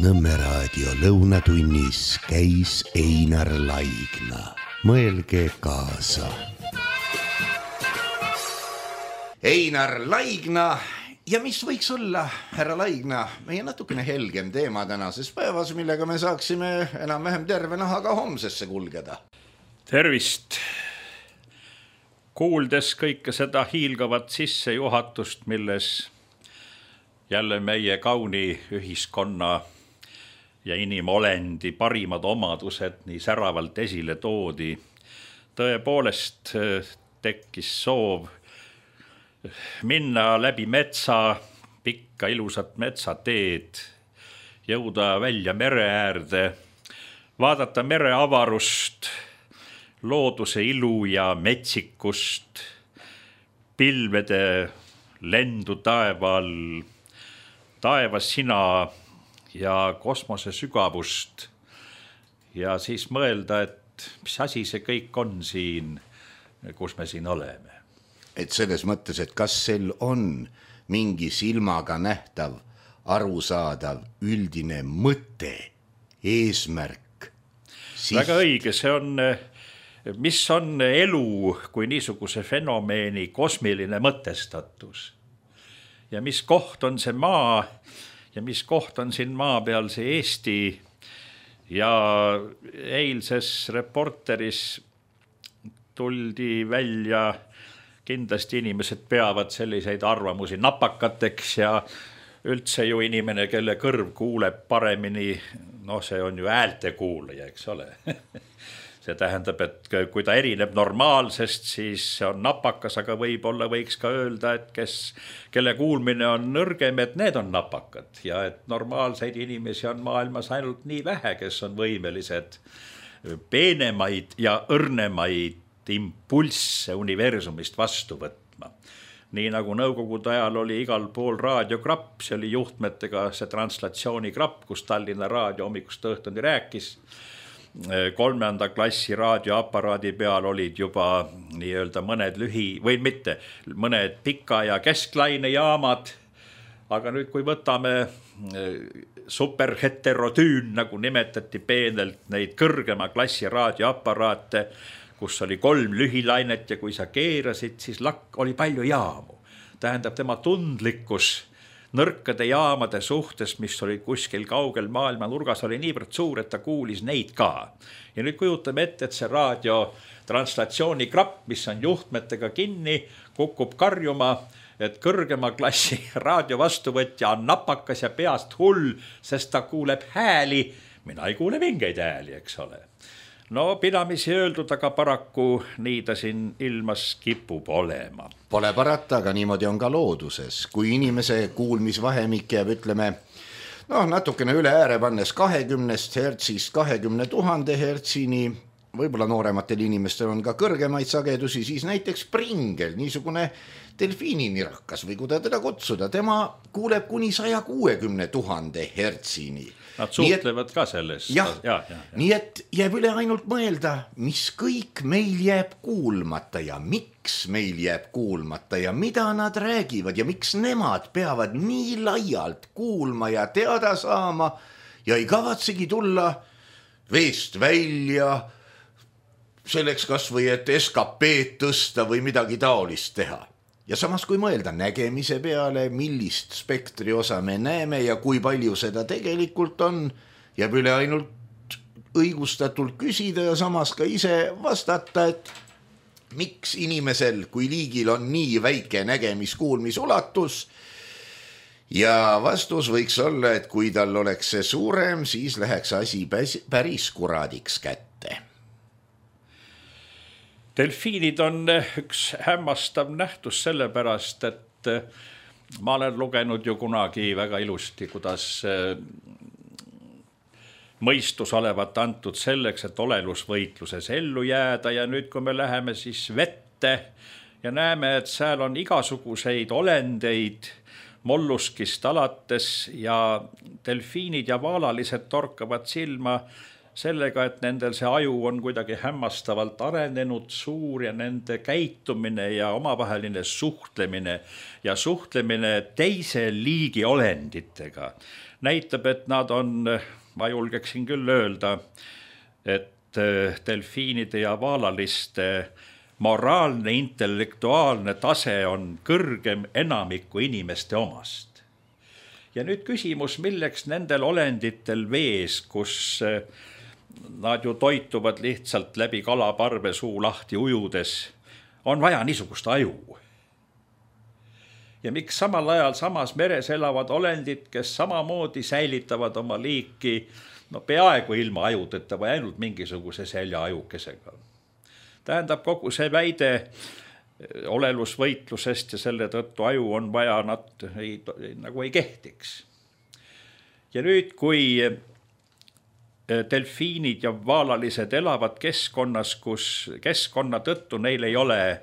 Nõmme raadio lõunatunnis käis Einar Laigna. Mõelge kaasa. Einar Laigna ja mis võiks olla, härra Laigna, meie natukene helgem teema tänases päevas, millega me saaksime enam-vähem terve nahaga homsesse kulgeda. Tervist! Kuuldes kõike seda hiilgavat sissejuhatust, milles jälle meie kauni ühiskonna ja inimolendi parimad omadused nii säravalt esile toodi, tõepoolest tekkis soov minna läbi metsa, pikka ilusat metsateed, jõuda välja mere äärde, vaadata mere avarust, looduse ilu ja metsikust, pilvede lendu taeval, taevas sina ja kosmose sügavust ja siis mõelda, et mis asi see kõik on siin, kus me siin oleme. Et selles mõttes, et kas sel on mingi silmaga nähtav, arusaadav, üldine mõte, eesmärk? Väga õige, see on, mis on elu kui niisuguse fenomeeni kosmiline mõtestatus ja mis koht on see maa ja mis koht on siin maa peal see Eesti ja eilses Reporteris tuldi välja, kindlasti inimesed peavad selliseid arvamusi napakateks ja üldse ju inimene, kelle kõrv kuuleb paremini, see on ju häälte kuulaja, eks ole. See tähendab, et kui ta erineb normaalsest, siis see on napakas, aga võib-olla võiks ka öelda, et kelle kuulmine on nõrgem, et need on napakad ja et normaalseid inimesi on maailmas ainult nii vähe, kes on võimelised peenemaid ja õrnemaid impulsse universumist vastu võtma. Nii nagu nõukogude ajal oli igal pool raadiograpp, see oli juhtmetega see translatsioonigrapp, kus Tallinna Raadio hommikust õhtuni rääkis. 3. klassi raadioaparaadi peal olid juba nii-öelda mõned mõned pika ja kesklainejaamad, aga nüüd kui võtame superheterotüün, nagu nimetati peenelt neid kõrgema klassi raadioaparaate, kus oli 3 lühilainet ja kui sa keerasid, siis oli palju jaamu. Tähendab, tema tundlikkus nõrkade jaamade suhtes, mis olid kuskil kaugel maailma nurgas, oli niivõrd suur, et ta kuulis neid ka. Ja nüüd kujutame ette, et see raadiotranslatsioonigrapp, mis on juhtmetega kinni, kukub karjuma, et kõrgema klassi raadiovastuvõtja on napakas ja peast hull, sest ta kuuleb hääli. Mina ei kuule mingeid hääli, eks ole. Pidamisi öeldud, aga paraku nii ta siin ilmas kipub olema. Pole parata, aga niimoodi on ka looduses. Kui inimese kuulmisvahemik jääb, ütleme, natukene üle ääre pannes 20 hertsist 20 000 hertsini, võib-olla noorematel inimestel on ka kõrgemaid sagedusi, siis näiteks pringel, niisugune delfiininirakas või kuidas teda kutsuda, tema kuuleb kuni 160 000 hertsini. Nad suhtlevad ka selles. Ja. Nii et jääb üle ainult mõelda, mis kõik meil jääb kuulmata ja miks meil jääb kuulmata ja mida nad räägivad ja miks nemad peavad nii laialt kuulma ja teada saama ja ei kavatsegi tulla veest välja selleks kas või, et SKP tõsta või midagi taolist teha. Ja samas kui mõelda nägemise peale, millist spektri osa me näeme ja kui palju seda tegelikult on, jääb üle ainult õigustatult küsida ja samas ka ise vastata, et miks inimesel kui liigil on nii väike nägemis-kuulmisulatus ja vastus võiks olla, et kui tal oleks see suurem, siis läheks asi päris kuradiks kätte. Delfiinid on üks hämmastav nähtus sellepärast, et ma olen lugenud ju kunagi väga ilusti, kuidas mõistus olevat antud selleks, et olelusvõitluses ellu jääda ja nüüd, kui me läheme siis vette ja näeme, et seal on igasuguseid olendeid molluskist alates ja delfiinid ja vaalalised torkavad silma sellega, et nendel see aju on kuidagi hämmastavalt arenenud, suur ja nende käitumine ja omavaheline suhtlemine teise liigi olenditega näitab, et nad on, ma julgeksin küll öelda, et delfiinide ja vaalaliste moraalne, intellektuaalne tase on kõrgem enamiku inimeste omast. Ja nüüd küsimus, milleks nendel olenditel vees, kus nad ju toituvad lihtsalt läbi kalaparve suu lahti ujudes, on vaja niisugust aju. Ja miks samal ajal samas meres elavad olendid, kes samamoodi säilitavad oma liiki peaaegu ilma ajudeta või ainult mingisuguse seljaajukesega. Tähendab, kogu see väide olelusvõitlusest ja selle tõttu aju on vaja, nad nagu ei kehtiks. Ja nüüd, kui delfiinid ja vaalalised elavad keskkonnas, kus keskkonna tõttu neil ei ole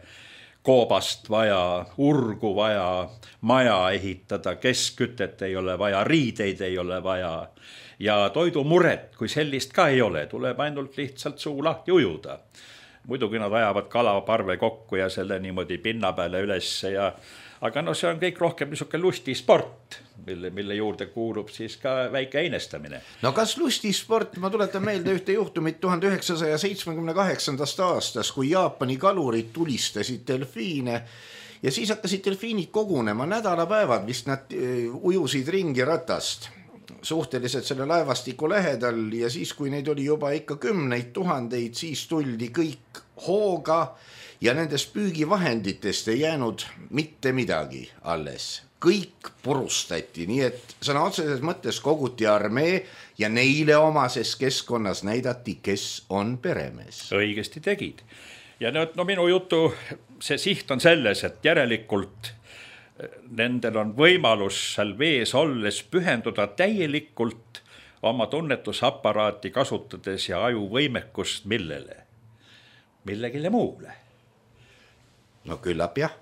koobast vaja, urgu vaja, maja ehitada, keskkütet ei ole vaja, riideid ei ole vaja ja toidumuret, kui sellist ka ei ole, tuleb ainult lihtsalt suu lahti ujuda. Muidugi nad ajavad kalaparve kokku ja selle niimoodi pinna peale ülesse aga see on kõik rohkem niisugune lustisport, mille juurde kuulub siis ka väike einestamine. No kas lustisport, ma tuletan meelde ühte juhtumit 1978. aastast, kui Jaapani kalurid tulistasid delfiine ja siis hakkasid delfiinid kogunema nädalapäevad, vist nad ujusid ringi ratast suhteliselt selle laevastiku lähedal ja siis, kui neid oli juba ikka 10 000, siis tuldi kõik hooga ja nendest püügivahenditest ei jäänud mitte midagi alles. Kõik purustati, nii et sõna otseses mõttes koguti armee ja neile omases keskkonnas näidati, kes on peremees. Õigesti tegid. Ja minu jutu, see siht on selles, et järelikult nendel on võimalus seal vees olles pühenduda täielikult oma tunnetusaparaati kasutades ja aju võimekust millegile muule. No küllap jah,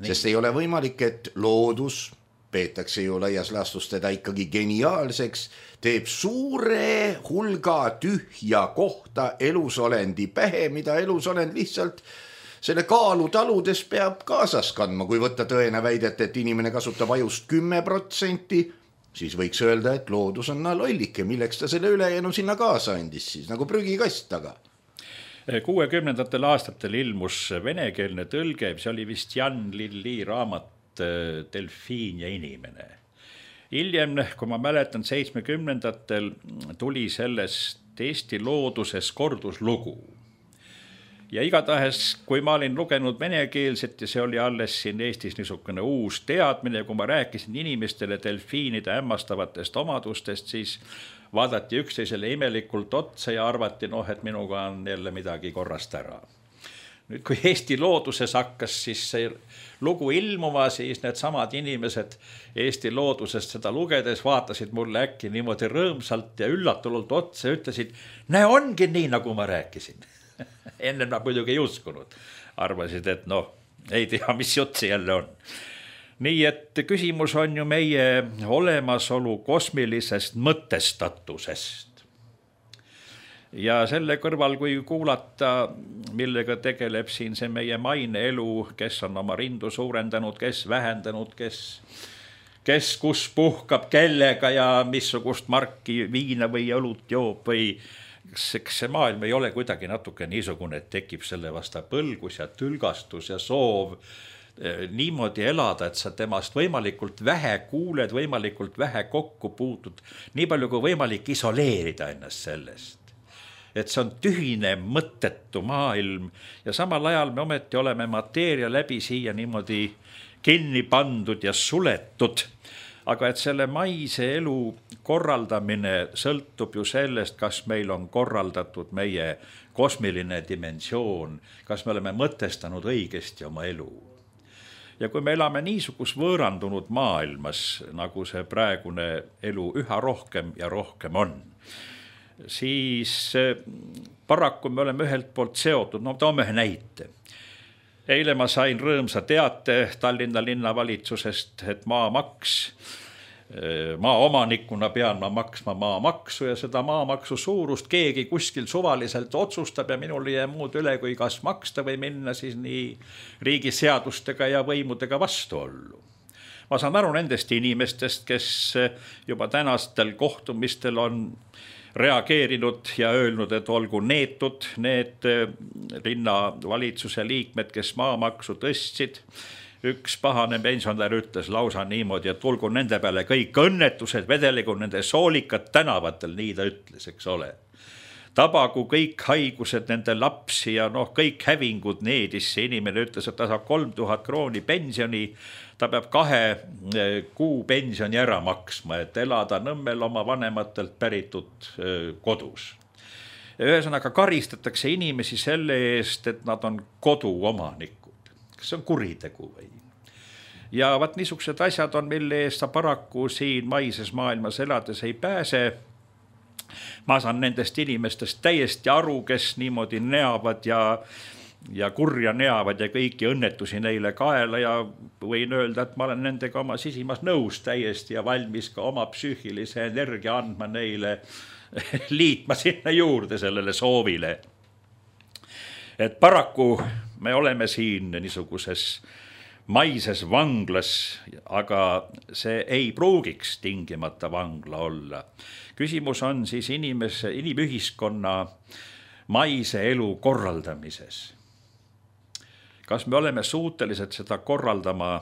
sest ei ole võimalik, et loodus, peetakse ju laias laastus teda ikkagi geniaalseks, teeb suure hulga tühja kohta elusolendi pähe, mida elusolend lihtsalt selle kaalu taludes peab kaasas kandma. Kui võtta tõene väidet, et inimene kasutab ajust 10%, siis võiks öelda, et loodus on lollike, milleks ta selle ülejäänu sinna kaasa andis siis, nagu prügikast taga. 60. aastatel ilmus venekeelne tõlge, see oli vist Jan Lilli raamat Delfiin ja inimene. Hiljem, kui ma mäletan, 70-ndatel tuli sellest Eesti looduses korduslugu. Ja igatahes, kui ma olin lugenud venekeelset ja see oli alles siin Eestis niisugune uus teadmine, kui ma rääkisin inimestele delfiinide hämmastavatest omadustest, siis vaadati üksteisele imelikult otsa ja arvati, et minuga on jälle midagi korrast ära. Nüüd, kui Eesti looduses hakkas siis see lugu ilmuma, siis need samad inimesed Eesti loodusest seda lugedes vaatasid mulle äkki niimoodi rõõmsalt ja üllatunult otsa ja ütlesid, näe, ongi nii, nagu ma rääkisin. Enne ma muidugi ei uskunud. Arvasid, et ei tea, mis jutt see jälle on. Nii et küsimus on ju meie olemasolu kosmilisest mõtestatusest. Ja selle kõrval, kui kuulata, millega tegeleb siin see meie maine elu, kes on oma rindu suurendanud, kes vähendanud, kes kus puhkab kellega ja missugust marki viina või õlut joob või see maailm ei ole kuidagi natuke niisugune, et tekib selle vasta põlgus ja tülgastus ja soov niimoodi elada, et sa temast võimalikult vähe kuuled, võimalikult vähe kokku puutud, nii palju kui võimalik isoleerida ennast sellest. Et see on tühine, mõttetu maailm ja samal ajal me ometi oleme mateeria läbi siia niimoodi kinni pandud ja suletud. Aga et selle maise elu korraldamine sõltub ju sellest, kas meil on korraldatud meie kosmiline dimensioon, kas me oleme mõtestanud õigesti oma elu. Ja kui me elame niisugus võõrandunud maailmas, nagu see praegune elu üha rohkem ja rohkem on, siis paraku me oleme ühelt poolt seotud, toome ühe näite. Eile ma sain rõõmsa teate Tallinna linnavalitsusest, et maamaks maaomanikuna pean ma maksma maamaksu ja seda maamaksu suurust keegi kuskil suvaliselt otsustab ja minul ei jää muud üle, kui kas maksta või minna siis nii riigi seadustega ja võimudega vastuollu. Ma saan aru nendest inimestest, kes juba tänastel kohtumistel on reageerinud ja öelnud, et olgu neetud need linnavalitsuse liikmed, kes maamaksu tõstsid. Üks pahane pensionär ütles lausa niimoodi, et tulgu nende peale kõik õnnetused, vedeligu nende soolikad tänavatel, nii ta ütles, eks ole. Tabagu kõik haigused nende lapsi ja kõik hävingud needis. See inimene ütles, et ta saab 3000 krooni pensioni, ta peab 2 kuu pensioni ära maksma, et elada Nõmmel oma vanematelt päritud kodus. Ühesõnaga karistatakse inimesi selle eest, et nad on koduomanikud. Kas see on kuritegu või? Ja vaat niisugused asjad on, mille eest sa paraku siin maises maailmas elades ei pääse. Ma saan nendest inimestest täiesti aru, kes niimoodi neavad ja kurja neavad ja kõiki õnnetusi neile kaela ja võin öelda, et ma olen nendega oma sisimas nõus täiesti ja valmis ka oma psüühilise energia andma neile, liitma sinna juurde sellele soovile. Et paraku me oleme siin niisuguses maises vanglas, aga see ei pruugiks tingimata vangla olla. Küsimus on siis inimühiskonna maise elu korraldamises. Kas me oleme suutelised seda korraldama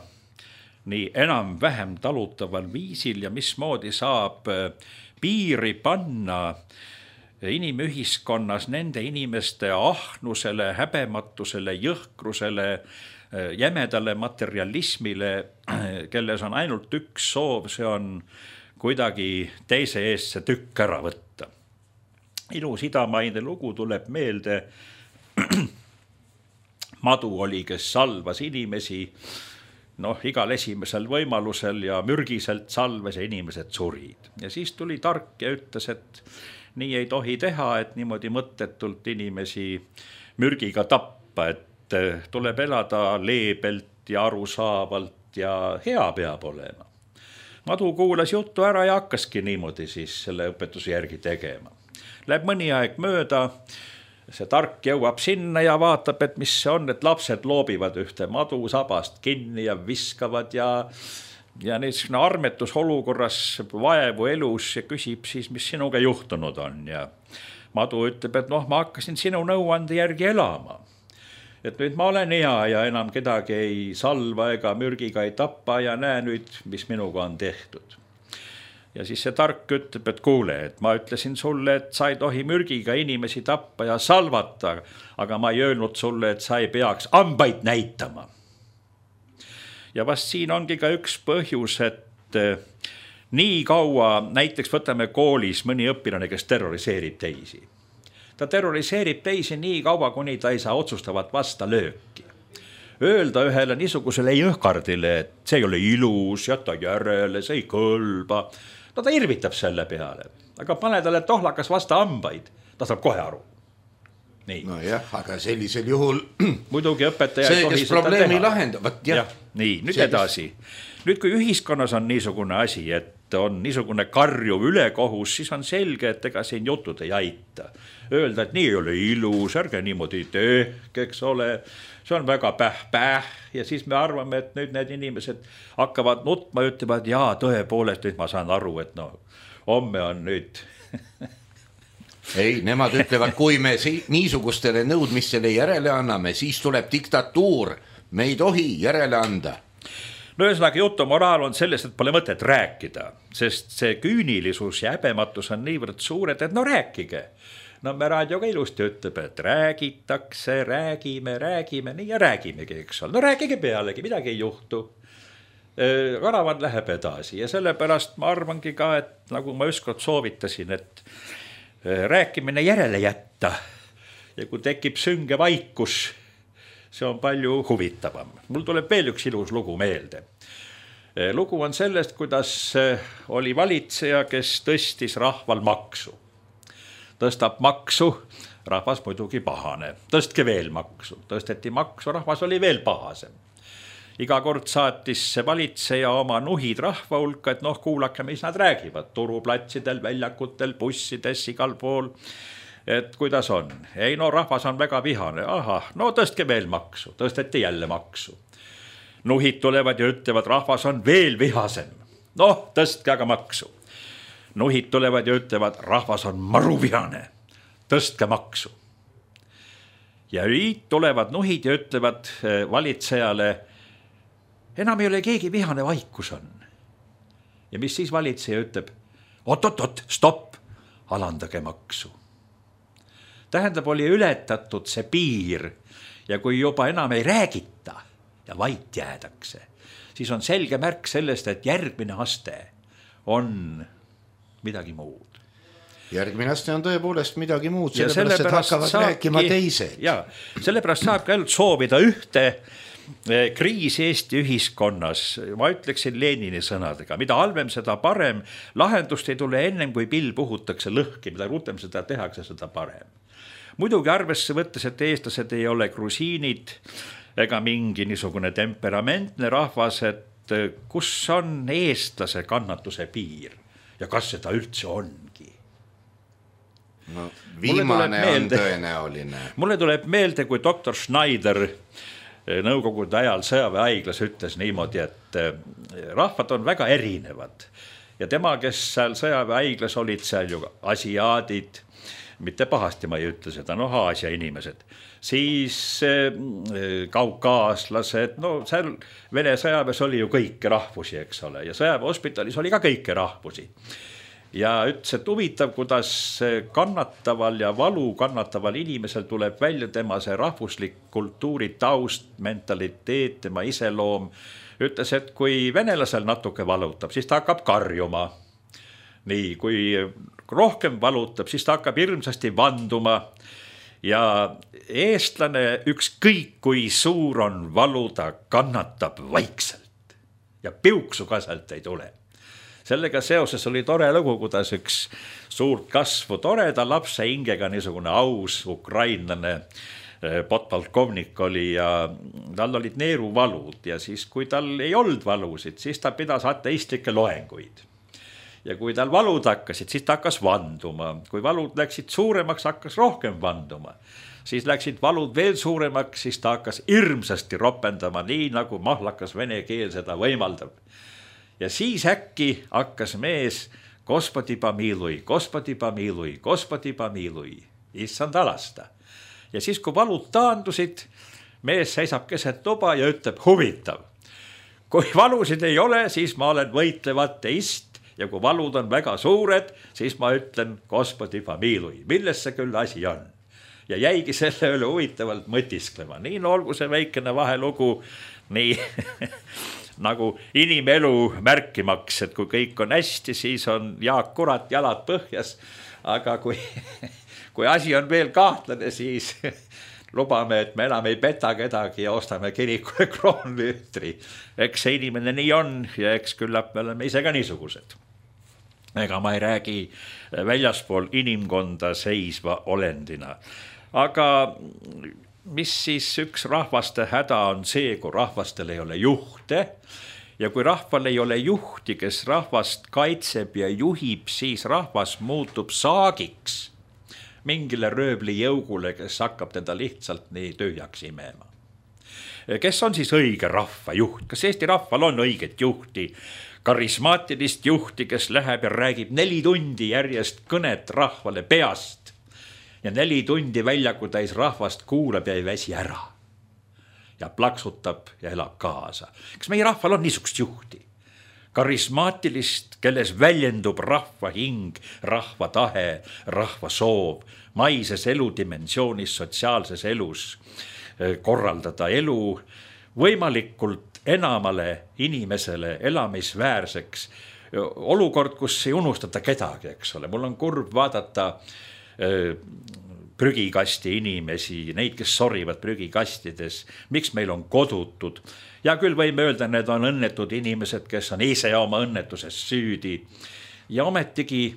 nii enam-vähem talutaval viisil ja mismoodi saab piiri panna inimühiskonnas nende inimeste ahnusele, häbematusele, jõhkrusele, jämedale materialismile, kelles on ainult üks soov, see on kuidagi teise eest see tükk ära võtta. Ilus idamaine lugu tuleb meelde. Madu oli, kes salvas inimesi, igal esimesel võimalusel ja mürgiselt salves ja inimesed surid. Ja siis tuli tark ja ütles, et nii ei tohi teha, et niimoodi mõttetult inimesi mürgiga tappa, et tuleb elada leebelt ja arusaavalt ja hea peab olema. Madu kuulas juttu ära ja hakkaski niimoodi siis selle õpetuse järgi tegema. Läheb mõni aeg mööda, see tark jõuab sinna ja vaatab, et mis see on, et lapsed loobivad ühte madu sabast kinni ja viskavad ja niisugune armetus olukorras vaevu elus ja küsib siis, mis sinuga juhtunud on. Ja Madu ütleb, et ma hakkasin sinu nõuande järgi elama. Et nüüd ma olen hea ja enam kedagi ei salva ega mürgiga ei tappa ja näe nüüd, mis minuga on tehtud. Ja siis see tark ütleb, et kuule, et ma ütlesin sulle, et sa ei tohi mürgiga inimesi tappa ja salvata, aga ma ei öelnud sulle, et sa ei peaks ambaid näitama. Ja vast siin ongi ka üks põhjus, et nii kaua, näiteks võtame koolis mõni õpilane, kes terroriseerib teisi. Ta terroriseerib teisi nii kaua, kuni ta ei saa otsustavat vasta lööki. Öelda ühele niisugusele jõhkardile, et see ei ole ilus, jäta järele, see ei kõlba. Ta irvitab selle peale, aga pane talle tohlakas vasta ambaid, ta saab kohe aru. Nii. No jah, aga sellisel juhul muidugi õpetaja see, kes probleemi lahendavad. Nii, nüüd edasi. Nüüd, kui ühiskonnas on niisugune asi, et on niisugune karjuv ülekohus, siis on selge, et ega siin jutud ei aita. Öelda, et nii ei ole ilus, ärge niimoodi tehke, eks ole, see on väga päh ja siis me arvame, et nüüd need inimesed hakkavad nutma ja ütlevad, jaa, tõepoolest, nüüd ma saan aru, et homme on nüüd Ei, nemad ütlevad, kui me niisugustele nõudmistele järele anname, siis tuleb diktatuur. Me ei tohi järele anda. Ühesõnaga jutu moraal on sellest, et pole mõtet rääkida, sest see küünilisus ja häbematus on niivõrd suured, et rääkige. Me raadioga ilusti ütleb, et räägitakse, räägime, nii ja räägimegi, eks ole. Rääkige pealegi, midagi ei juhtu. Karavan läheb edasi ja sellepärast ma arvangi ka, et nagu ma ükskord soovitasin, et rääkimine järele jätta ja kui tekib sünge vaikus, see on palju huvitavam. Mul tuleb veel üks ilus lugu meelde. Lugu on sellest, kuidas oli valitseja, kes tõstis rahval maksu. Tõstab maksu, rahvas muidugi pahane. Tõstke veel maksu, tõsteti maksu, rahvas oli veel pahasem. iga kord saatis see valitseja oma nuhid rahva hulka, et kuulake, mis nad räägivad turuplatsidel, väljakutel, bussides, igal pool. Et kuidas on? Ei, rahvas on väga vihane. Ahah, tõstke veel maksu, tõsteti jälle maksu. Nuhid tulevad ja ütlevad, rahvas on veel vihasem. Tõstke aga maksu. Nuhid tulevad ja ütlevad, rahvas on maruvihane, tõstke maksu. Ja nüüd tulevad nuhid ja ütlevad valitsejale, enam ei ole keegi vihane, vaikus on. Ja mis siis valitseja ütleb? Oot, stopp, alandage maksu. Tähendab, oli ületatud see piir ja kui juba enam ei räägita ja vait jäädakse, siis on selge märk sellest, et järgmine aste on midagi muud. Järgmine aste on tõepoolest midagi muud, sellepärast et hakkavad rääkima teised. Ja sellepärast saab ka ainult soovida ühte kriis Eesti ühiskonnas, ma ütleksin Lenini sõnadega, mida halvem, seda parem, lahendust ei tule ennem, kui pill puhutakse lõhki, mida rutem seda tehakse, seda parem. Muidugi arvesse võttes, et eestlased ei ole grusiinid ega mingi niisugune temperamentne rahvas, et kus on eestlase kannatuse piir ja kas seda üldse ongi? Viimane on tõenäoline. Mulle tuleb meelde, kui doktor Schneider nõukogude ajal sõjaväehaiglas ütles niimoodi, et rahvad on väga erinevad ja tema, kes seal sõjaväehaiglas olid seal ju asiaadid, mitte pahasti ma ei ütle seda, Aasia inimesed, siis kaukaaslased, seal Vene sõjaväes oli ju kõiki rahvusi, eks ole, ja sõjaväehospitalis oli ka kõiki rahvusi. Ja ütles, et huvitav, kuidas kannataval ja valu kannataval inimesel tuleb välja tema see rahvuslik kultuuri taust, mentaliteet, tema iseloom. Ütles, et kui venelasel natuke valutab, siis ta hakkab karjuma. Nii, kui rohkem valutab, siis ta hakkab hirmsasti vanduma. Ja eestlane ükskõik kui suur on valu, ta kannatab vaikselt. Ja piuksu ka sealt ei tule. Sellega seoses oli tore lugu, kuidas üks suurt kasvu toreda lapse hingega niisugune aus ukrainlane podpolkovnik oli ja tal olid neeruvalud ja siis kui tal ei olnud valusid, siis ta pidas ateistlikke loenguid. Ja kui tal valud hakkasid, siis ta hakkas vanduma. Kui valud läksid suuremaks, hakkas rohkem vanduma. Siis läksid valud veel suuremaks, siis ta hakkas hirmsasti ropendama, nii nagu mahlakas vene keel seda võimaldab. Ja siis äkki hakkas mees Gospodi pomilui, Gospodi pomilui, Gospodi pomilui, issand alasta. Ja siis kui valud taandusid, mees seisab keset tuba ja ütleb huvitav. Kui valusid ei ole, siis ma olen võitlev ateist ja kui valud on väga suured, siis ma ütlen Gospodi pomilui, milles see küll asi on. Ja jäigi selle üle huvitavalt mõtisklema. Nii olgu see väikene vahelugu, nii nagu inimelu märkimaks, et kui kõik on hästi, siis on Jaak Kurat jalad põhjas, aga kui asi on veel kahtlane, siis lubame, et me enam ei peta kedagi ja ostame kirikule kroonlüütri. Eks see inimene nii on ja eks küllap me oleme ise ka niisugused. Ega ma ei räägi väljaspool inimkonda seisva olendina. Aga mis siis üks rahvaste häda on see, kui rahvastel ei ole juhte ja kui rahval ei ole juhti, kes rahvast kaitseb ja juhib, siis rahvas muutub saagiks mingile rööbli jõugule, kes hakkab teda lihtsalt nii tühjaks imema. Kes on siis õige rahva juht? Kas Eesti rahval on õiget juhti? Karismaatilist juhti, kes läheb ja räägib 4 tundi järjest kõnet rahvale peast ja 4 tundi väljaku täis rahvast kuulab ja ei väsi ära ja plaksutab ja elab kaasa. Kas meie rahval on niisugust juhti? Karismaatilist, kelles väljendub rahva hing, rahva tahe, rahva soov, maises eludimensioonis, sotsiaalses elus korraldada elu võimalikult enamale inimesele elamisväärseks. Olukord, kus ei unustata kedagi, eks ole. Mul on kurb vaadata prügikasti inimesi, neid, kes sorivad prügikastides, miks meil on kodutud. Ja küll võime öelda, need on õnnetud inimesed, kes on ise oma õnnetuses süüdi. Ja ometigi,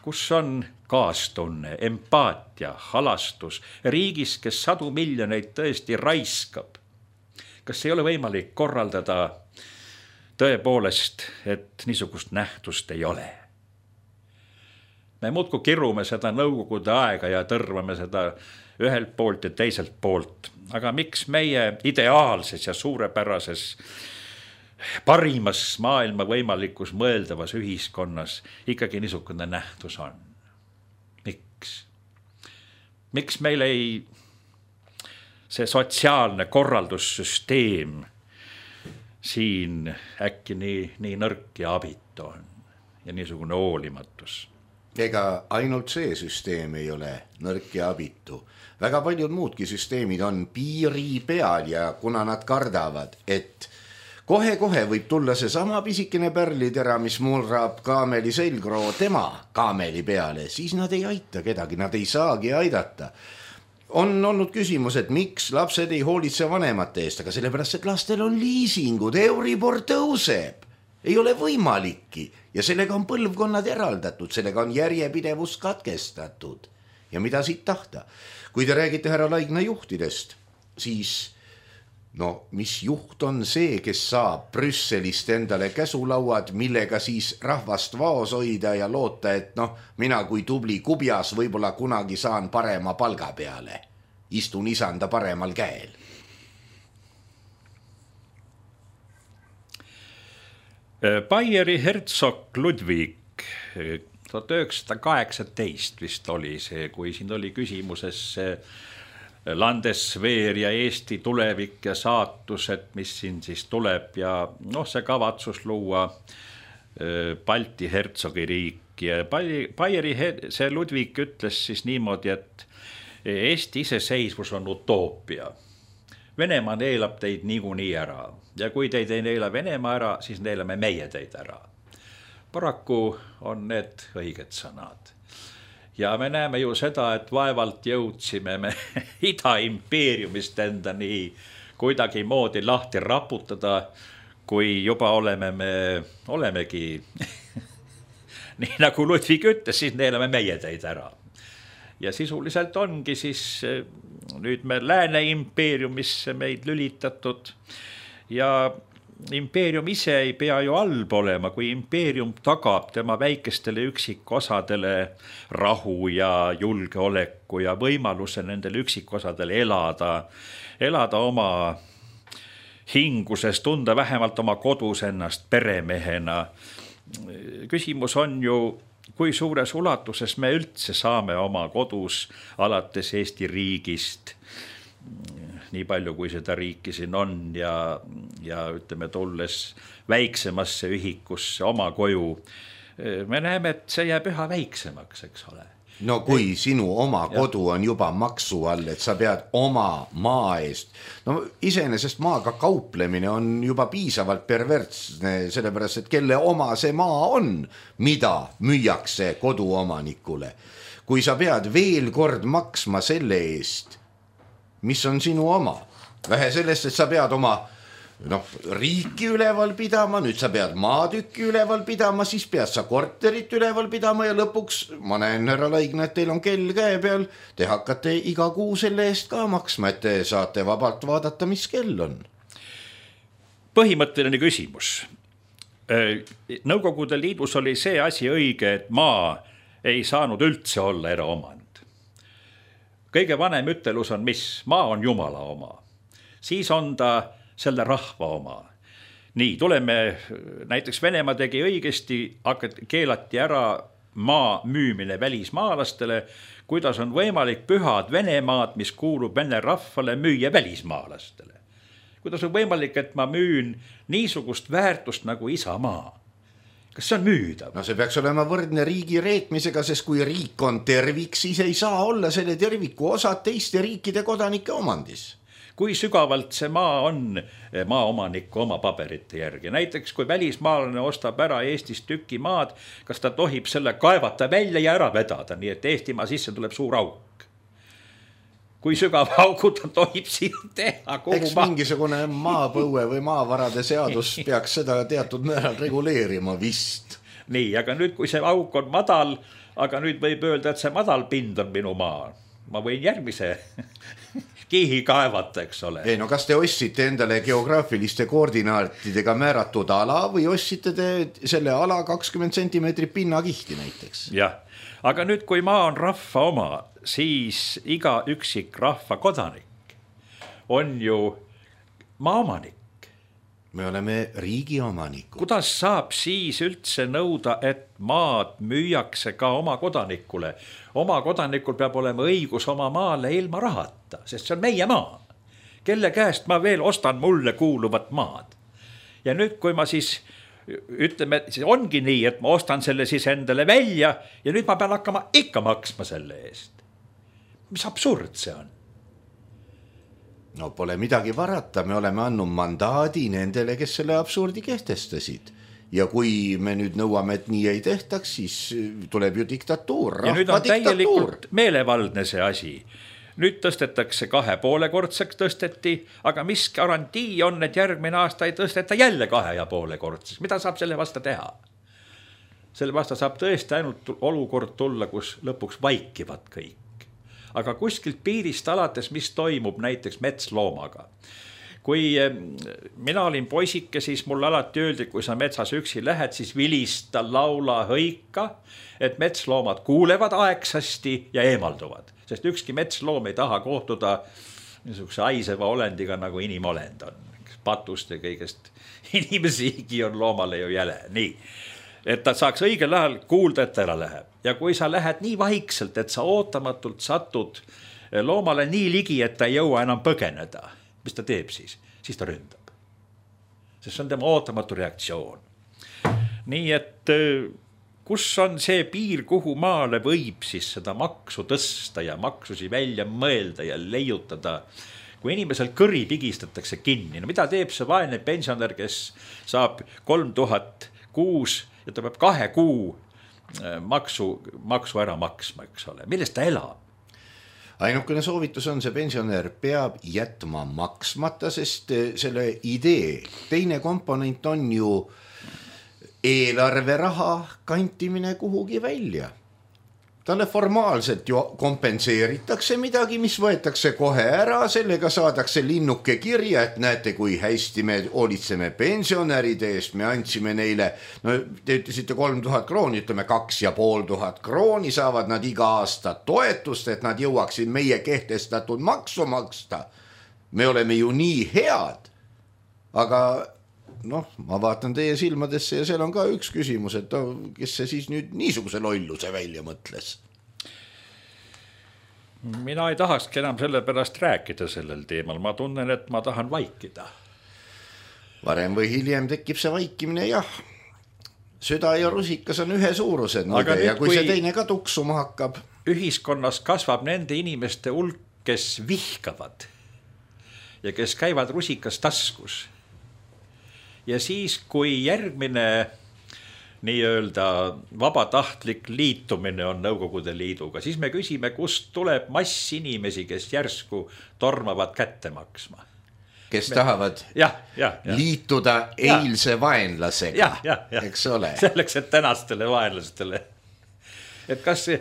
kus on kaastunne, empaatia, halastus, riigis, kes 100 miljoneid tõesti raiskab. kas ei ole võimalik korraldada tõepoolest, et niisugust nähtust ei ole? Me muudkui kirume seda nõukogude aega ja tõrvame seda ühelt poolt ja teiselt poolt. Aga miks meie ideaalses ja suurepärases parimas maailma võimalikus mõeldavas ühiskonnas ikkagi niisugune nähtus on? Miks? Miks meil ei see sotsiaalne korraldussüsteem siin äkki nii nõrk ja abitu on ja niisugune hoolimatus? Ega ainult see süsteem ei ole nõrk ja abitu. Väga paljud muudki süsteemid on piiri peal ja kuna nad kardavad, et kohe-kohe võib tulla see sama pisikene pärlitera, mis murrab kaameli selgroo tema kaameli peale, siis nad ei aita kedagi, nad ei saagi aidata. On olnud küsimus, et miks lapsed ei hoolitse vanemate eest, aga sellepärast, et lastel on liisingud, Euribor tõuseb. Ei ole võimalikki ja sellega on põlvkonnad eraldatud, sellega on järjepidevus katkestatud. Ja mida siit tahta? Kui te räägite härra Laigna juhtidest, siis mis juht on see, kes saab Brüsselist endale käsulauad, millega siis rahvast vaos hoida ja loota, et mina kui tubli kubjas võib-olla kunagi saan parema palga peale. Istun isanda paremal käel. Baieri hertsog Ludwig 1918 vist oli see, kui siin oli küsimuses Landesveer ja Eesti tulevik ja saatus, et mis siin siis tuleb ja see kavatsus luua Balti hertsogiriik ja Baieri see Ludwig ütles siis niimoodi, et Eesti iseseisvus on utoopia. Venemaa neelab teid niikuinii ära ja kui teid ei neela Venemaa ära, siis neelame meie teid ära. Paraku on need õiged sõnad. Ja me näeme ju seda, et vaevalt jõudsime me Ida-impeeriumist enda nii kuidagi moodi lahti raputada, kui juba olemegi nii nagu Ludwig ütles, siis neelame meie teid ära. Ja sisuliselt ongi siis nüüd me Lääne impeeriumisse meid lülitatud ja impeerium ise ei pea ju halb olema, kui impeerium tagab tema väikestele üksikosadele rahu ja julgeoleku ja võimaluse nendele üksikosadele elada oma hinguses, tunda vähemalt oma kodus ennast peremehena. Küsimus on ju, kui suures ulatuses me üldse saame oma kodus alates Eesti riigist, nii palju kui seda riiki siin on ja ütleme tulles väiksemasse ühikusse oma koju, me näeme, et see jääb üha väiksemaks, eks ole. Kui sinu oma kodu on juba maksu all, et sa pead oma maa eest, iseenesest maaga kauplemine on juba piisavalt pervertsne, sellepärast, et kelle oma see maa on, mida müüakse koduomanikule. Kui sa pead veel kord maksma selle eest, mis on sinu oma, vähe sellest, et sa pead oma riiki üleval pidama, nüüd sa pead maatükki üleval pidama, siis pead sa korterit üleval pidama ja lõpuks ma näen, härra Laigna, et teil on kell käe peal, te hakkate iga kuu selle eest ka maksma, et te saate vabalt vaadata, mis kell on. Põhimõtteline küsimus. Nõukogude Liidus oli see asi õige, et maa ei saanud üldse olla eraomand. Kõige vanem ütelus on mis? Maa on Jumala oma. Siis on ta selle rahva oma. Nii, tuleme, näiteks Venemaa tegi õigesti, keelati ära maa müümine välismaalastele, kuidas on võimalik pühad Venemaad, mis kuulub vene rahvale, müüa välismaalastele. Kuidas on võimalik, et ma müün niisugust väärtust nagu isamaa? Kas see on müüdav? See peaks olema võrdne riigi reetmisega, sest kui riik on tervik, siis ei saa olla selle terviku osad teiste riikide kodanike omandis. Kui sügavalt see maa on maaomaniku oma paberite järgi. Näiteks kui välismaalane ostab ära Eestis tüki maad, kas ta tohib selle kaevata välja ja ära vedada, nii et Eestimaa sisse tuleb suur auk. Kui sügav auku ta tohib siin teha? Eks mingisugune maapõue või maavarade seadus peaks seda teatud määral reguleerima vist. Nii, aga nüüd kui see auk on madal, aga nüüd võib öelda, et see madal pind on minu maa. Ma võin järgmise kihi kaevata, eks ole. Ei, no kas te ostsite endale geograafiliste koordinaatidega määratud ala või ostsite te selle ala 20 centimeetrit pinnakihti näiteks? Jah, aga nüüd, kui maa on rahva oma, siis iga üksik rahva kodanik on ju maaomanik. Me oleme riigi omanikud. Kuidas saab siis üldse nõuda, et maad müüakse ka oma kodanikule? Oma kodanikul peab olema õigus oma maale ilma rahata, sest see on meie maa. Kelle käest ma veel ostan mulle kuuluvat maad? Ja nüüd, kui ma siis ütleme, siis ongi nii, et ma ostan selle siis endale välja ja nüüd ma pean hakkama ikka maksma selle eest. Mis absurd see on? No pole midagi varata, me oleme andnud mandaadi nendele, kes selle absurdi kehtestasid. Ja kui me nüüd nõuame, et nii ei tehtaks, siis tuleb ju diktatuur, ja nüüd on täielikult meelevaldne see asi. Nüüd tõstetakse 2,5-kordseks tõsteti, aga mis garantii on, et järgmine aasta ei tõsteta jälle 2,5-kordseks? Mida saab selle vasta teha? Selle vasta saab tõesti ainult olukord tulla, kus lõpuks vaikivad kõik. Aga kuskilt piirist alates, mis toimub näiteks metsloomaga. Kui mina olin poisike, siis mul alati öeldi, kui sa metsas üksi lähed, siis vilista, laula, hõika, et metsloomad kuulevad aegsasti ja eemalduvad. Sest ükski metsloom ei taha kohtuda niisuguse aiseva olendiga, nagu inimolend on. Patust ja kõigest inimesiigi on loomale ju jäle. Nii. Et ta saaks õigel ajal kuulda, et ära läheb. Ja kui sa lähed nii vaikselt, et sa ootamatult satud loomale nii ligi, et ta ei jõua enam põgeneda, mis ta teeb siis? Siis ta ründab. Sest see on tema ootamatu reaktsioon. Nii et kus on see piir, kuhu maale võib siis seda maksu tõsta ja maksusi välja mõelda ja leiutada, kui inimesel kõri pigistatakse kinni? No mida teeb see vaene pensionär, kes saab 3000 kuus ja ta peab 2 kuu maksu ära maksma, eks ole. Millest ta elab? Ainukene soovitus on, see pensionär peab jätma maksmata, sest selle idee teine komponent on ju eelarveraha kantimine kuhugi välja. Talle formaalselt ju kompenseeritakse midagi, mis võetakse kohe ära, sellega saadakse linnuke kirja, et näete, kui hästi me hoolitseme pensionäride eest, me andsime neile, no te ütlesite 3000 krooni, ütleme 2500 krooni saavad nad iga aasta toetust, et nad jõuaksid meie kehtestatud maksu maksta. Me oleme ju nii head, aga noh, ma vaatan teie silmadesse ja seal on ka üks küsimus, et kes see siis nüüd niisuguse lolluse välja mõtles? Mina ei tahakski enam selle pärast rääkida sellel teemal. Ma tunnen, et ma tahan vaikida. Varem või hiljem tekib see vaikimine, jah. Süda ja rusikas on ühe suurused, ja kui see teine ka tuksuma hakkab. Ühiskonnas kasvab nende inimeste hulk, kes vihkavad ja kes käivad rusikas taskus. Ja siis, kui järgmine nii-öelda vabatahtlik liitumine on Nõukogude Liiduga, siis me küsime, kust tuleb mass inimesi, kes järsku tormavad kätte maksma. Kes tahavad liituda eilse vaenlasega, eks ole. Selleks, et tänastele vaenlastele. Et kas see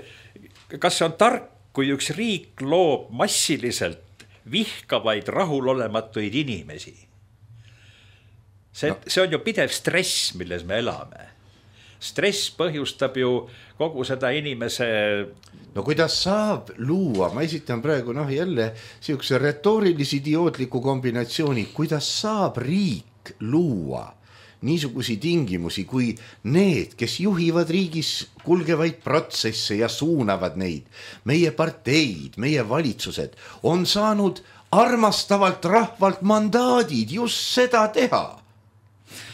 on tark, kui üks riik loob massiliselt vihkavaid rahulolematuid inimesi? See on ju pidev stress, milles me elame. Stress põhjustab ju kogu seda inimese... No kuidas saab luua, ma esitan praegu jälle siukse retoorilisi idiootliku kombinatsiooni, kuidas saab riik luua niisugusi tingimusi, kui need, kes juhivad riigis kulgevaid protsesse ja suunavad neid, meie parteid, meie valitsused, on saanud armastavalt rahvalt mandaadid just seda teha.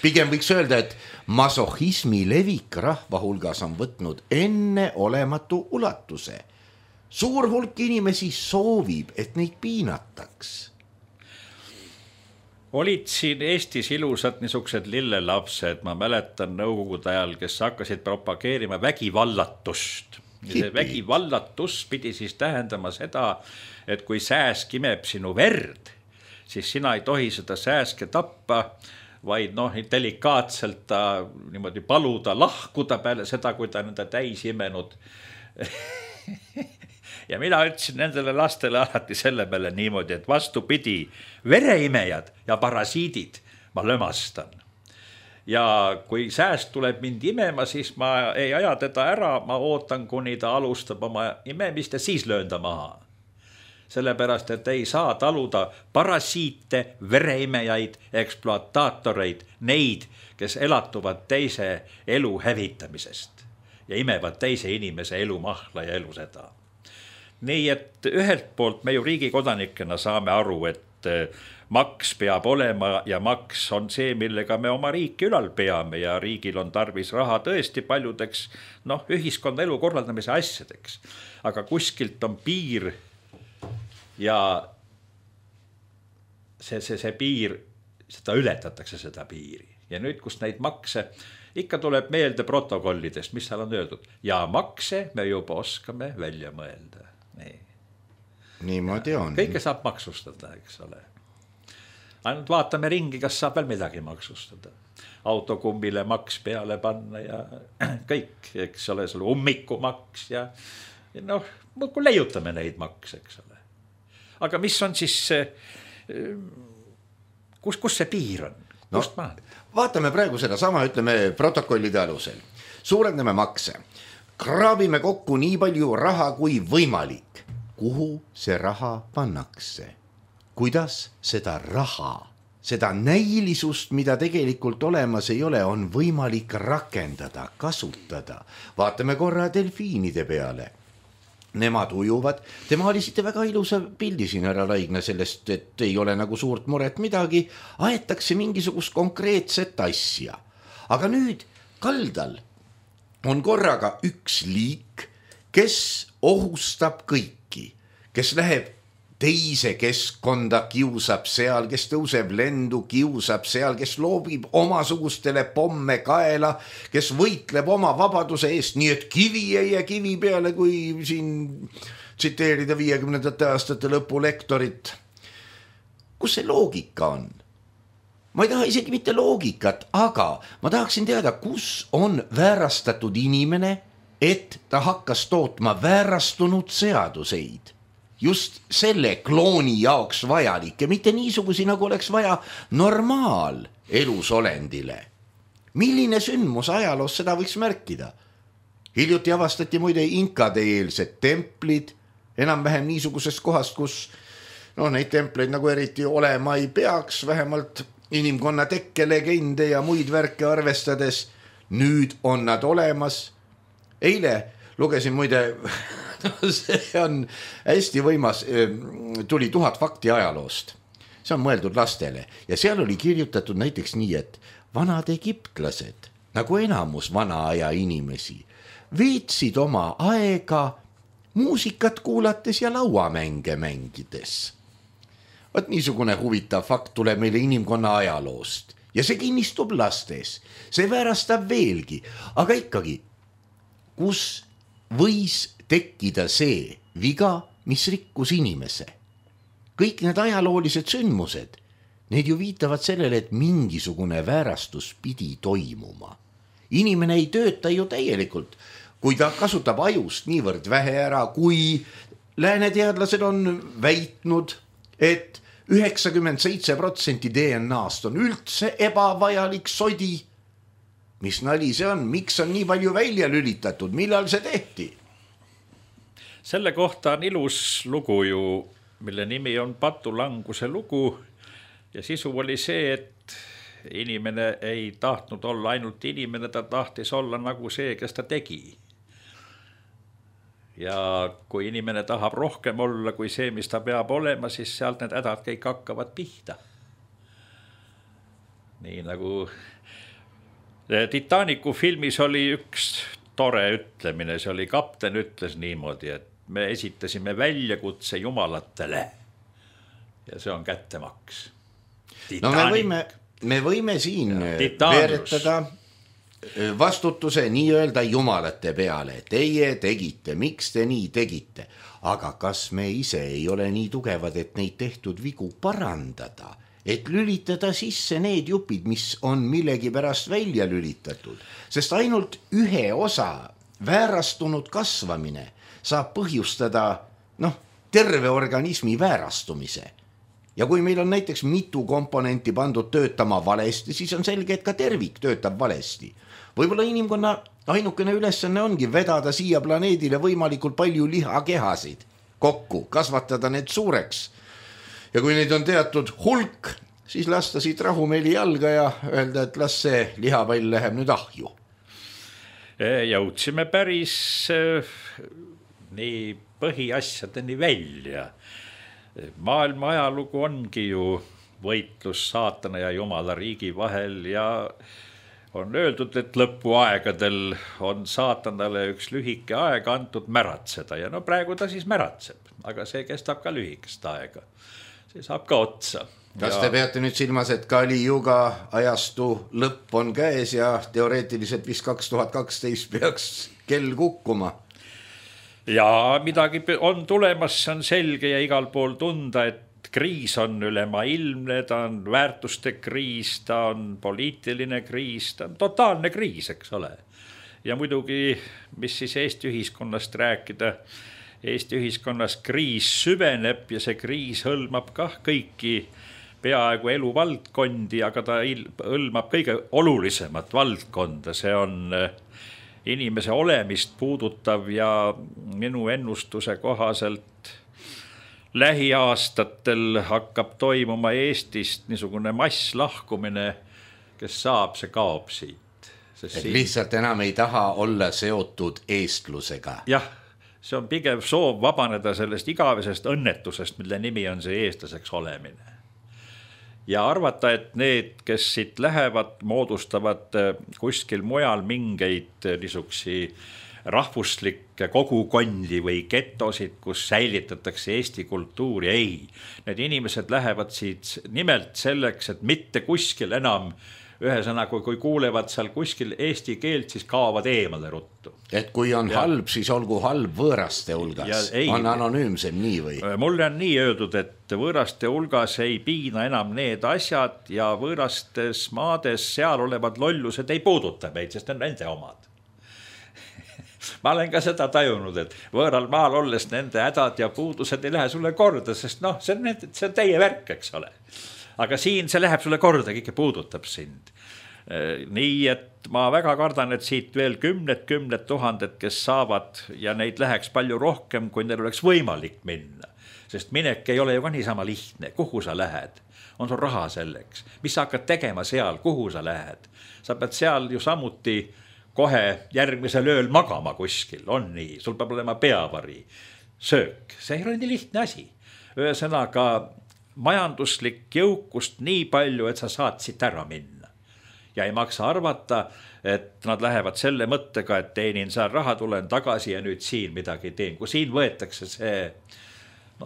Pigem võiks öelda, et masohismi levik rahva hulgas on võtnud enne olematu ulatuse. Suur hulk inimesi soovib, et neid piinataks. Olid siin Eestis ilusad niisugused lillelapsed, ma mäletan Nõukogude ajal, kes hakkasid propageerima vägivallatust. Vägivallatus pidi siis tähendama seda, et kui sääsk imeb sinu verd, siis sina ei tohi seda sääske tappa, vaid delikaatselt ta niimoodi paluda lahkuda peale seda, kui ta nende täis imenud. ja mina ütlesin nendele lastele alati selle peale niimoodi, et vastupidi, vereimejad ja parasiidid ma lömastan. Ja kui sääst tuleb mind imema, siis ma ei aja teda ära, ma ootan, kuni ta alustab oma imemist ja siis löön ta maha. Sellepärast, et ei saa taluda parasiite, vereimejaid, ekspluataatoreid, neid, kes elatuvad teise elu hävitamisest ja imevad teise inimese elu mahla ja elu seda. Nii et ühelt poolt me ju riigi kodanikena saame aru, et maks peab olema ja maks on see, millega me oma riiki ülal peame ja riigil on tarvis raha tõesti paljudeks ühiskonna elu korraldamise asjadeks. Aga kuskilt on piir ja see piir, seda ületatakse seda piiri. Ja nüüd, kus neid makse, ikka tuleb meelde protokollidest, mis seal on öeldud. Ja makse me juba oskame välja mõelda. Niimoodi on. Kõike saab maksustada, eks ole. Ainult vaatame ringi, kas saab veel midagi maksustada. Autokummile maks peale panna ja kõik, eks ole, selle ummikumaks ja kui leiutame neid maks, eks ole. Aga mis on siis, kus see piir on? Vaatame praegu seda sama, ütleme protokollide alusel. Suurendame makse. Kraabime kokku nii palju raha kui võimalik. Kuhu see raha pannakse? Kuidas seda raha, seda näilisust, mida tegelikult olemas ei ole, on võimalik rakendada, kasutada? Vaatame korra delfiinide peale. Nemad ujuvad. Te maalisite väga ilusa pildi siin, härra Laigna, sellest, et ei ole nagu suurt muret midagi. Aetakse mingisugust konkreetset asja. Aga nüüd kaldal on korraga üks liik, kes ohustab kõiki, kes läheb teise keskkonda, kiusab seal, kes tõuseb lendu, kiusab seal, kes loobib omasugustele pomme kaela, kes võitleb oma vabaduse eest, nii et kivi ei jää kivi peale, kui siin tsiteerida 50. aastate lõpu lektorit. Kus see loogika on? Ma ei taha isegi mitte loogikat, aga ma tahaksin teada, kus on väärastatud inimene, et ta hakkas tootma väärastunud seaduseid. Just selle klooni jaoks vajalik ja mitte niisugusi, nagu oleks vaja normaal elusolendile. Milline sündmus ajaloos seda võiks märkida? Hiljuti avastati muide inkade eelsed templid, enam-vähem niisugusest kohast, kus neid templeid nagu eriti olema ei peaks, vähemalt inimkonna tekkelegende ja muid värke arvestades. Nüüd on nad olemas. Eile lugesin muide... see on hästi võimas, tuli 1000 fakti ajaloost. See on mõeldud lastele ja seal oli kirjutatud näiteks nii, et vanad egiptlased, nagu enamus vana aja inimesi, veetsid oma aega muusikat kuulates ja lauamänge mängides. Võt niisugune huvitav fakt tuleb meile inimkonna ajaloost ja see kinnistub lastes. See väärastab veelgi, aga ikkagi, kus võis tekkida see viga, mis rikkus inimese. Kõik need ajaloolised sündmused, need ju viitavad sellele, et mingisugune väärastus pidi toimuma. Inimene ei tööta ju täielikult, kui ta kasutab ajust niivõrd vähe ära, kui lääne teadlased on väitnud, et 97% DNA-st on üldse ebavajalik sodi. Mis nali see on? Miks on nii palju välja lülitatud? Millal see tehti? Selle kohta on ilus lugu ju, mille nimi on Patulanguse lugu ja sisu oli see, et inimene ei tahtnud olla ainult inimene, ta tahtis olla nagu see, kes ta tegi. Ja kui inimene tahab rohkem olla kui see, mis ta peab olema, siis sealt need hädad kõik hakkavad pihta. Nii nagu Titanicu filmis oli üks tore ütlemine, see oli kapten ütles niimoodi, et me esitasime väljakutse jumalatele ja see on kättemaks. Me võime siin veeretada vastutuse nii-öelda jumalate peale. Teie tegite, miks te nii tegite? Aga kas me ise ei ole nii tugevad, et neid tehtud vigu parandada? Et lülitada sisse need jupid, mis on millegi pärast välja lülitatud. Sest ainult ühe osa väärastunud kasvamine saab põhjustada terve organismi väärastumise. Ja kui meil on näiteks mitu komponenti pandud töötama valesti, siis on selge, et ka tervik töötab valesti. Võib-olla inimkonna ainukene ülesanne ongi vedada siia planeedile võimalikult palju lihakehasid kokku, kasvatada need suureks. Ja kui neid on teatud hulk, siis lasta siit rahumeeli jalga ja öelda, et las see lihapall läheb nüüd ahju. Jõudsime päris nii põhiasjadeni välja. Maailma ajalugu ongi ju võitlus saatana ja jumala riigi vahel ja on öeldud, et lõpuaegadel on saatanale üks lühike aeg antud märatseda ja praegu ta siis märatseb, aga see kestab ka lühikest aega. See saab ka otsa. Kas te peate nüüd silmas, et Kali Juga ajastu lõpp on käes ja teoreetiliselt vist 2012 peaks kell kukkuma? Ja midagi on tulemas, see on selge ja igal pool tunda, et kriis on ülemaailmne, ta on väärtuste kriis, ta on poliitiline kriis, ta on totaalne kriis, eks ole. Ja muidugi, mis siis Eesti ühiskonnast rääkida, Eesti ühiskonnas kriis süveneb ja see kriis hõlmab kah kõiki peaaegu eluvaldkondi, aga ta hõlmab kõige olulisemat valdkonda, see on inimese olemist puudutav ja minu ennustuse kohaselt lähiaastatel hakkab toimuma Eestist niisugune masslahkumine, kes saab, see kaob siit. Lihtsalt enam ei taha olla seotud eestlusega. Jah, see on pigem soov vabaneda sellest igavesest õnnetusest, mille nimi on see eestlaseks olemine. Ja arvata, et need, kes siit lähevad, moodustavad kuskil mujal mingeid niisuksi rahvuslikke kogukondi või getosid, kus säilitatakse Eesti kultuuri. Ei, need inimesed lähevad siit nimelt selleks, et mitte kuskil enam, ühesõnaga, kui kuulevad seal kuskil eesti keelt, siis kaovad eemale ruttu. Et kui on halb, siis olgu halb võõraste hulgas. On anonüümsem nii või? Mulle on nii öeldud, et võõraste hulgas ei piina enam need asjad ja võõrastes maades seal olevad lollused ei puuduta meid, sest on nende omad. Ma olen ka seda tajunud, et võõral maal olles nende hädad ja puudused ei lähe sulle korda, sest see on teie värk, eks ole. Aga siin see läheb sulle korda, kõik puudutab sind. Nii, et ma väga kardan, et siit veel kümned tuhanded, kes saavad ja neid läheks palju rohkem, kui neil oleks võimalik minna. Sest minek ei ole ju ka niisama lihtne. Kuhu sa lähed? On sul raha selleks? Mis sa hakkad tegema seal? Kuhu sa lähed? Sa pead seal ju samuti kohe järgmisel ööl magama kuskil. On nii. Sul peab olema peavari. Söök. See ei ole nii lihtne asi. Ühesõnaga majanduslik jõukust nii palju, et sa saad siit ära minna. Ja ei maksa arvata, et nad lähevad selle mõttega, et teenin seal raha, tulen tagasi ja nüüd siin midagi teen. Kui siin võetakse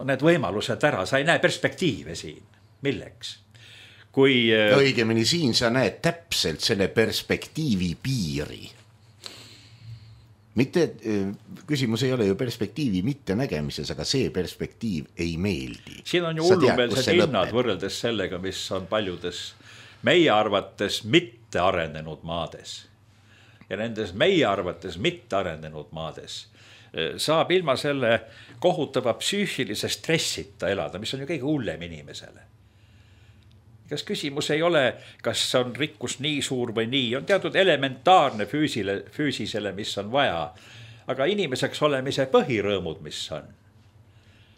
need võimalused ära, sa ei näe perspektiive siin. Milleks? Õigemini siin sa näed täpselt selle perspektiivi piiri. Mitte, küsimus ei ole ju perspektiivi mitte nägemises, aga see perspektiiv ei meeldi. Siin on ju hullumeelsed hinnad võrreldes sellega, mis on paljudes meie arvates mitte arenenud maades. Ja nendes meie arvates mitte arenenud maades saab ilma selle kohutava psüühilise stressita elada, mis on ju kõige hullem inimesele. Kas küsimus ei ole, kas on rikkus nii suur või nii, on teatud elementaarne füüsisele, mis on vaja, aga inimeseks olemise põhirõõmud, mis on.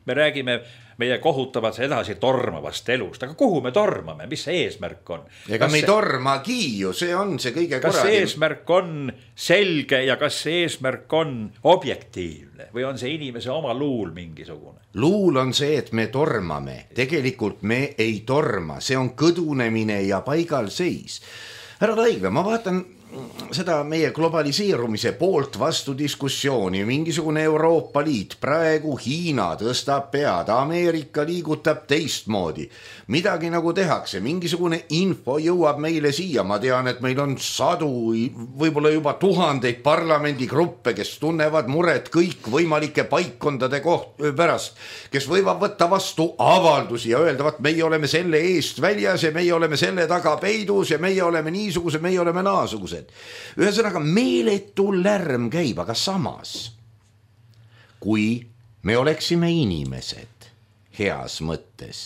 Me räägime meie kohutavast edasi tormavast elust, aga kuhu me tormame, mis see eesmärk on? Ega me ei tormagi ju, see on see kõige korradim. Kas see eesmärk on selge ja kas see eesmärk on objektiivne või on see inimese oma luul mingisugune? Luul on see, et me tormame, tegelikult me ei torma, see on kõdunemine ja paigal seis. Härra Raigla, ma vaatan seda meie globaliseerumise poolt vastu diskussiooni, mingisugune Euroopa Liit, praegu Hiina tõstab pead, Ameerika liigutab teistmoodi, midagi nagu tehakse, mingisugune info jõuab meile siia, ma tean, et meil on sadu, võib-olla juba tuhandeid parlamendigruppe, kes tunnevad muret kõik võimalike paikkondade pärast, kes võivad võtta vastu avaldusi ja öelda, et meie oleme selle eest väljas ja meie oleme selle taga peidus ja meie oleme niisugused, meie oleme naasugused. Ühesõnaga meeletu lärm käib, aga samas, kui me oleksime inimesed heas mõttes,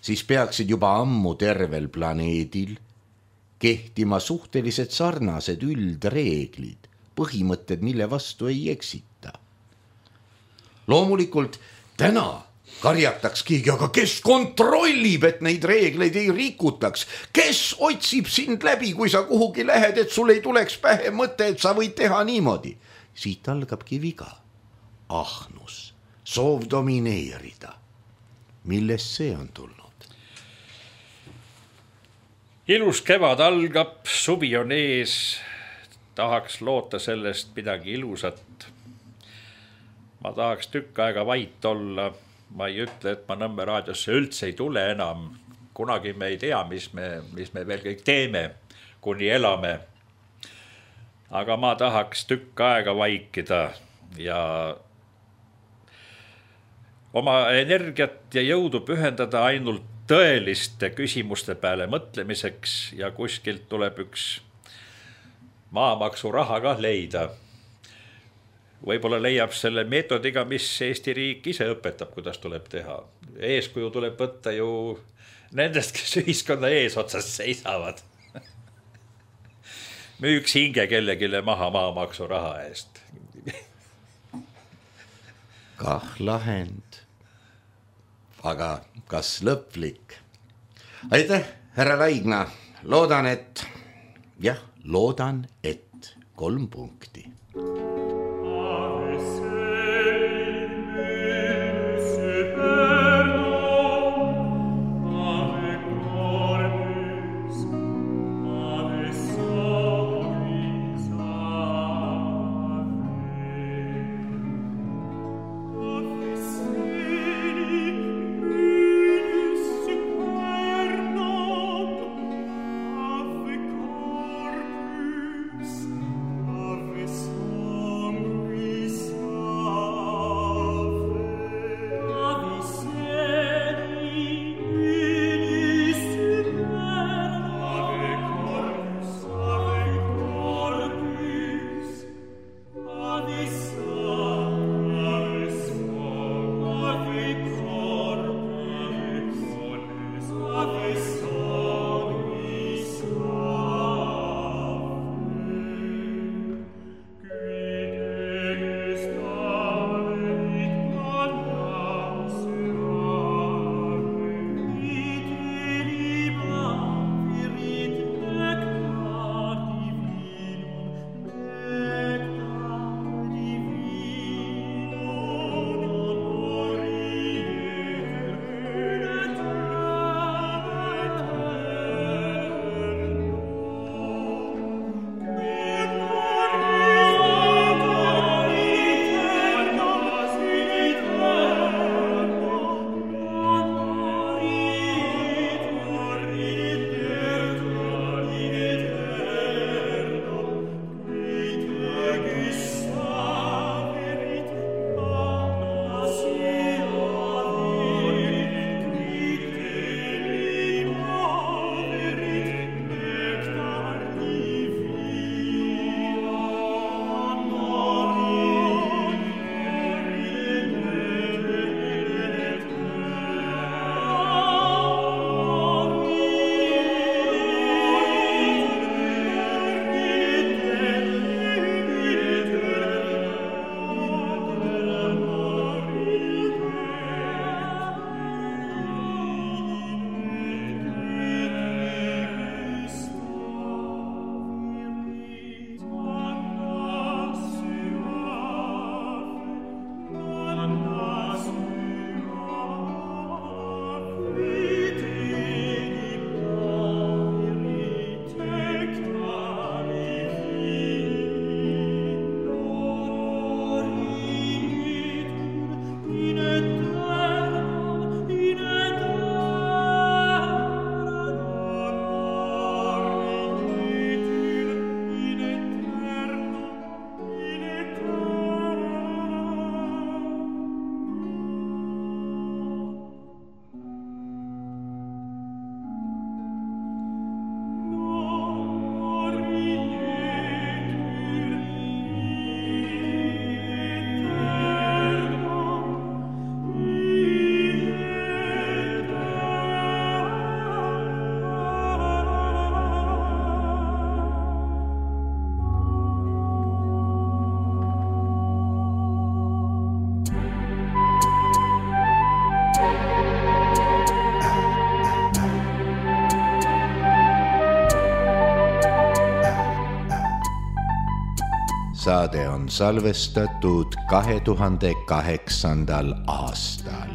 siis peaksid juba ammu tervel planeedil kehtima suhteliselt sarnased üldreeglid, põhimõtted, mille vastu ei eksita. Loomulikult täna karjataks keegi, aga kes kontrollib, et neid reegleid ei rikutaks? Kes otsib sind läbi, kui sa kuhugi lähed, et sul ei tuleks pähe mõte, et sa võid teha niimoodi? Siit algabki viga. Ahnus, soov domineerida. Millest see on tulnud? Ilus kevad algab, suvi on ees, tahaks loota sellest midagi ilusat. Ma tahaks tükk aega vait olla, ma ei ütle, et ma Nõmme raadiosse üldse ei tule enam. Kunagi me ei tea, mis me veel kõik teeme, kuni elame. Aga ma tahaks tükk aega vaikida ja oma energiat ja jõudu pühendada ainult tõeliste küsimuste peale mõtlemiseks ja kuskilt tuleb üks maamaksu raha ka leida. Võib-olla leiab selle meetodiga, mis Eesti riik ise õpetab, kuidas tuleb teha. Eeskuju tuleb võtta ju nendest, kes ühiskonna eesotsas seisavad. Müüks hinge kellegile maha maamaksu raha eest. Kah lahend. Aga kas lõplik? Aitäh, härra Laigna. Loodan, et 3 punkti. Saade on salvestatud 2008. aastal.